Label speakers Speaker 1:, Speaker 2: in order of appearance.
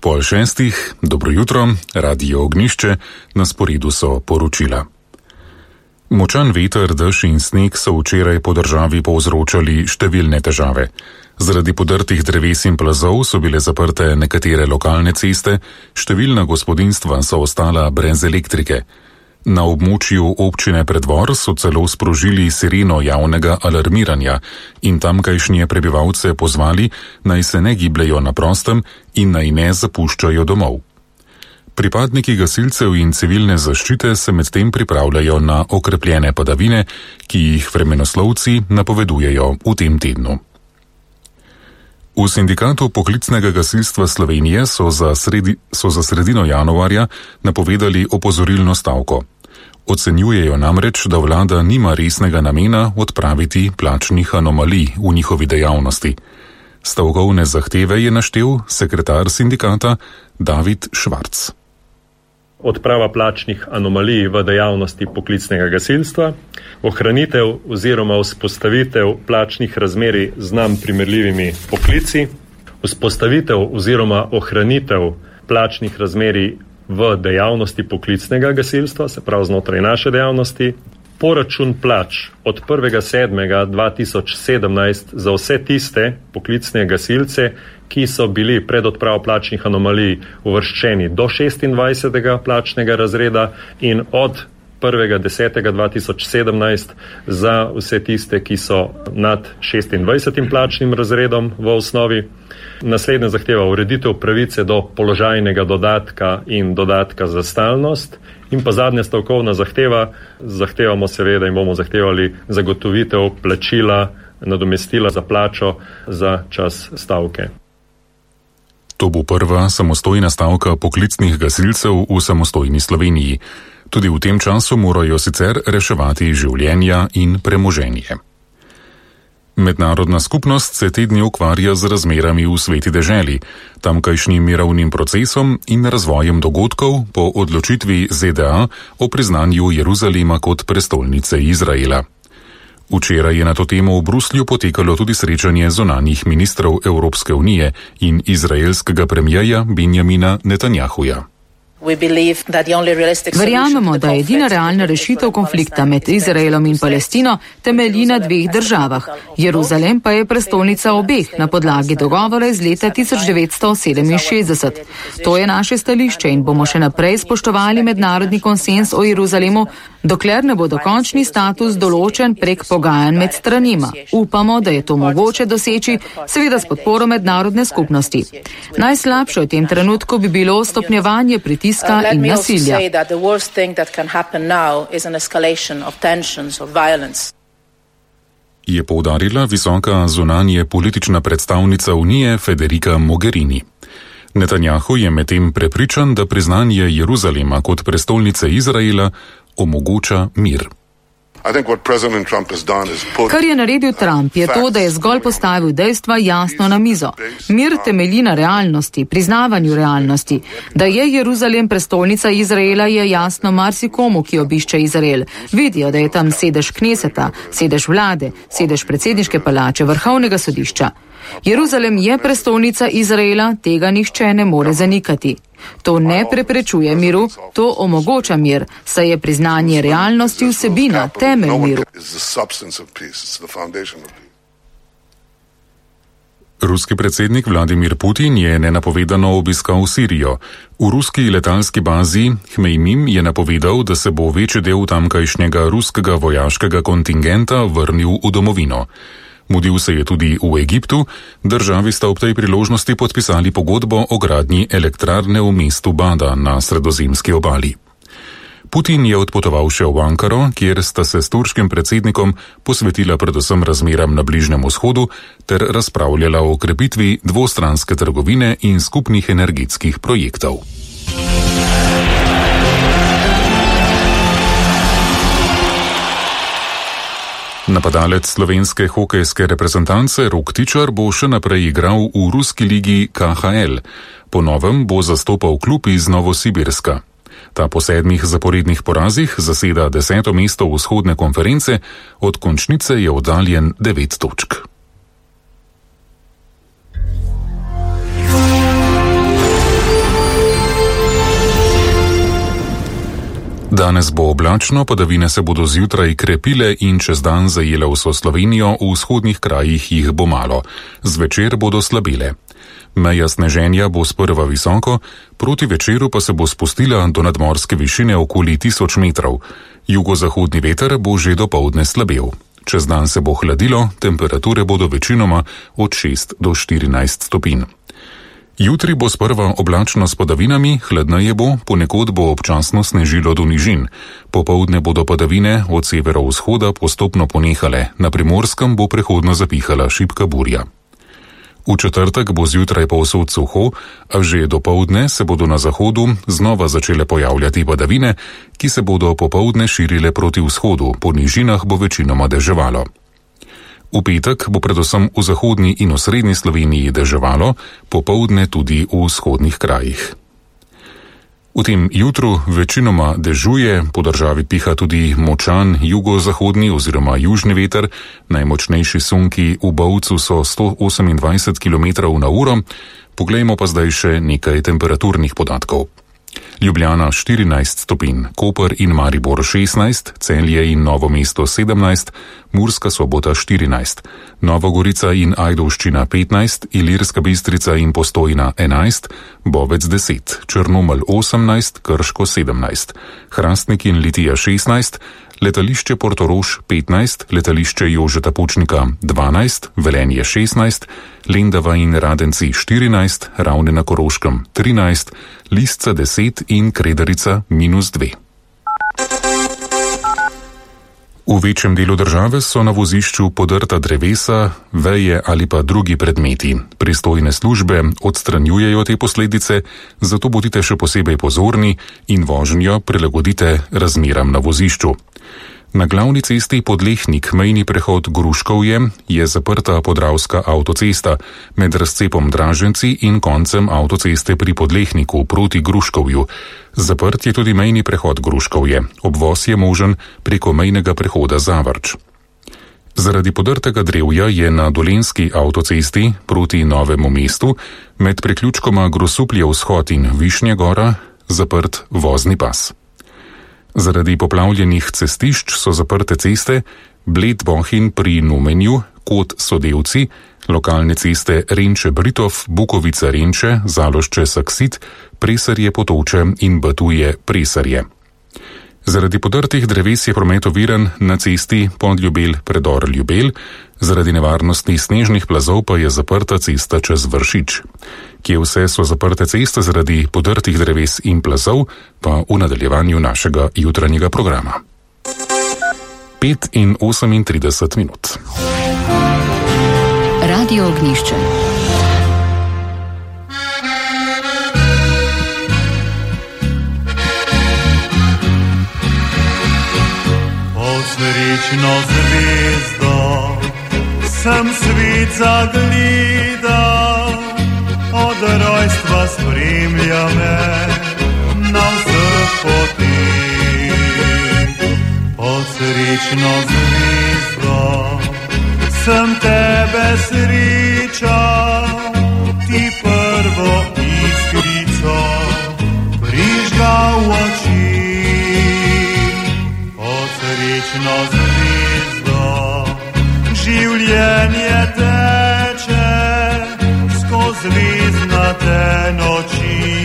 Speaker 1: 6:30, dobro jutro, Radio Ognjišče, na sporedu so poročila. Močan veter, dež in sneg so včeraj po državi povzročali številne težave. Zaradi podrtih dreves in plazov so bile zaprte nekatere lokalne ceste, številna gospodinjstva so ostala brez elektrike. Na območju občine Preddvor so celo sprožili sireno javnega alarmiranja in tamkajšnje prebivalce pozvali, naj se ne gibljejo na prostem in naj ne zapuščajo domov. Pripadniki gasilcev in civilne zaščite se medtem pripravljajo na okrepljene padavine, ki jih vremenoslovci napovedujejo v tem tednu. V Sindikatu poklicnega gasilstva Slovenije so za sredino januarja napovedali opozorilno stavko. Ocenjujejo namreč, da vlada nima resnega namena odpraviti plačnih anomalij v njihovi dejavnosti. Stavkovne zahteve je naštel sekretar sindikata David Švarc.
Speaker 2: Odprava plačnih anomalij v dejavnosti poklicnega gasilstva, ohranitev oziroma vzpostavitev plačnih razmerij z nam primerljivimi poklici, vzpostavitev oziroma ohranitev plačnih razmerij v dejavnosti poklicnega gasilstva, se pravi znotraj naše dejavnosti, poračun plač od 1.7.2017 za vse tiste poklicne gasilce, ki so bili pred odpravo plačnih anomalij uvrščeni do 26. plačnega razreda in od 1.10.2017 za vse tiste, ki so nad 26. plačnim razredom v osnovi. Naslednja zahteva ureditev pravice do položajnega dodatka in dodatka za stalnost. In pa zadnja stavkovna zahtevamo seveda in bomo zahtevali zagotovitev plačila, nadomestila za plačo za čas stavke.
Speaker 1: To bo prva samostojna stavka poklicnih gasilcev v samostojni Sloveniji. Tudi v tem času morajo sicer reševati življenja in premoženje. Mednarodna skupnost se te dni ukvarja z razmerami v sveti deželi, tamkajšnjim mirovnim procesom in razvojem dogodkov po odločitvi ZDA o priznanju Jeruzalema kot prestolnice Izraela. Včeraj je na to temo v Bruslju potekalo tudi srečanje zunanjih ministrov Evropske unije in izraelskega premierja Benjamina Netanjahuja.
Speaker 3: Verjamemo, da je edina realna rešitev konflikta med Izraelom in Palestino temelji na dveh državah. Jeruzalem pa je prestolnica obeh na podlagi dogovora iz leta 1967. To je naše stališče in bomo še naprej spoštovali mednarodni konsens o Jeruzalemu, dokler ne bo dokončni status določen prek pogajanj med stranima. Upamo, da je to mogoče doseči, seveda s podporo mednarodne skupnosti. Najslabše v tem trenutku bi bilo stopnjevanje pritiska in nasilja.
Speaker 1: Je poudarila visoka zunanje politična predstavnica Unije Federica Mogherini. Netanjahu je medtem prepričan, da priznanje Jeruzalema kot prestolnice Izraela omogoča mir.
Speaker 3: Kar je naredil Trump, je to, da je zgolj postavil dejstva jasno na mizo. Mir temelji na realnosti, priznavanju realnosti. Da je Jeruzalem prestolnica Izraela, je jasno marsikomu, ki obišče Izrael. Vidijo, da je tam sedež kneseta, sedež vlade, sedež predsedniške palače, vrhovnega sodišča. Jeruzalem je prestolnica Izraela, tega nihče ne more zanikati. To ne preprečuje miru, to omogoča mir, saj je priznanje realnosti vsebina, temelj miru.
Speaker 1: Ruski predsednik Vladimir Putin je nenapovedano obiskal Sirijo. V ruski letalski bazi Hmejmim je napovedal, da se bo večji del tamkajšnjega ruskega vojaškega kontingenta vrnil v domovino. Mudil se je tudi v Egiptu, državi sta ob tej priložnosti podpisali pogodbo o gradnji elektrarne v mestu Bada na sredozemski obali. Putin je odpotoval še v Ankaro, kjer sta se s turškim predsednikom posvetila predvsem razmeram na Bližnjem vzhodu ter razpravljala o krepitvi dvostranske trgovine in skupnih energetskih projektov. Napadalec slovenske hokejske reprezentance Rok Tičar bo še naprej igral v ruski ligi KHL. Po novem bo zastopal klub iz Novosibirska. Ta po 7 zaporednih porazih zaseda 10. mesto vzhodne konference, od končnice je oddaljen 9 točk. Danes bo oblačno, padavine se bodo zjutraj krepile in čez dan zajele vso Slovenijo, v vzhodnih krajih jih bo malo. Zvečer bodo slabile. Meja sneženja bo sprva visoko, proti večeru pa se bo spustila do nadmorske višine okoli 1000 metrov. Jugozahodni veter bo že dopoldne slabel. Čez dan se bo hladilo, temperature bodo večinoma od 6 do 14 stopinj. Jutri bo sprva oblačno s padavinami, hladneje bo, ponekod bo občasno snežilo do nižin. Popoldne bodo padavine od severovzhoda postopno ponehale, na Primorskem bo prehodno zapihala šibka burja. V četrtek bo zjutraj povsod suho, a že dopoldne se bodo na zahodu znova začele pojavljati padavine, ki se bodo popoldne širile proti vzhodu, po nižinah bo večinoma deževalo. V petek bo predvsem v zahodni in osrednji Sloveniji deževalo, popoldne tudi v vzhodnih krajih. V tem jutru večinoma dežuje, po državi piha tudi močan jugozahodni oziroma južni veter, najmočnejši sunki v Bovcu so 128 km/h, poglejmo pa zdaj še nekaj temperaturnih podatkov. Ljubljana 14 stopinj, Koper in Maribor 16, Celje in Novo mesto 17, Murska Sobota 14, Novogorica in Ajdovščina 15, Ilirska Bistrica in Postojna 11, Bovec 10, Črnomelj 18, Krško 17, Hrastnik in Litija 16, letališče Portorož 15, letališče Jožeta Pučnika 12, Velenje 16, Lendava in Radenci 14, Ravne na Koroškem 13, Lisca 10 in Kredarica -2. V večjem delu države so na vozišču podrta drevesa, veje ali pa drugi predmeti. Pristojne službe odstranjujejo te posledice, zato bodite še posebej pozorni in vožnjo prilagodite razmeram na vozišču. Na glavni cesti Podlehnik mejni prehod Gruškovje je zaprta podravska avtocesta med razcepom Draženci in koncem avtoceste pri Podlehniku proti Gruškovju. Zaprt je tudi mejni prehod Gruškovje. Obvoz je možen preko mejnega prehoda Zavrč. Zaradi podrtega drevja je na Dolenjski avtocesti proti Novemu mestu med priključkoma Grosuplje vzhod in Višnja Gora zaprt vozni pas. Zaradi poplavljenih cestišč so zaprte ceste Bled Bohinj pri Numenju, Kot Sodevci, lokalne ceste Renče-Britov, Bukovica-Renče, Zalošče-Saksit, Presarje-Potoče in Batuje-Presarje. Zaradi podrtih dreves je promet oviran na cesti Podljubelj-Predor-Ljubelj, zaradi nevarnosti snežnih plazov pa je zaprta cesta čez Vršič. Kje vse so zaprte ceste zaradi podrtih dreves in plazov, pa v nadaljevanju našega jutranjega programa. 5:38.
Speaker 3: Radio Ognjišče.
Speaker 4: Srečno zvezdo sem svet zagledal, od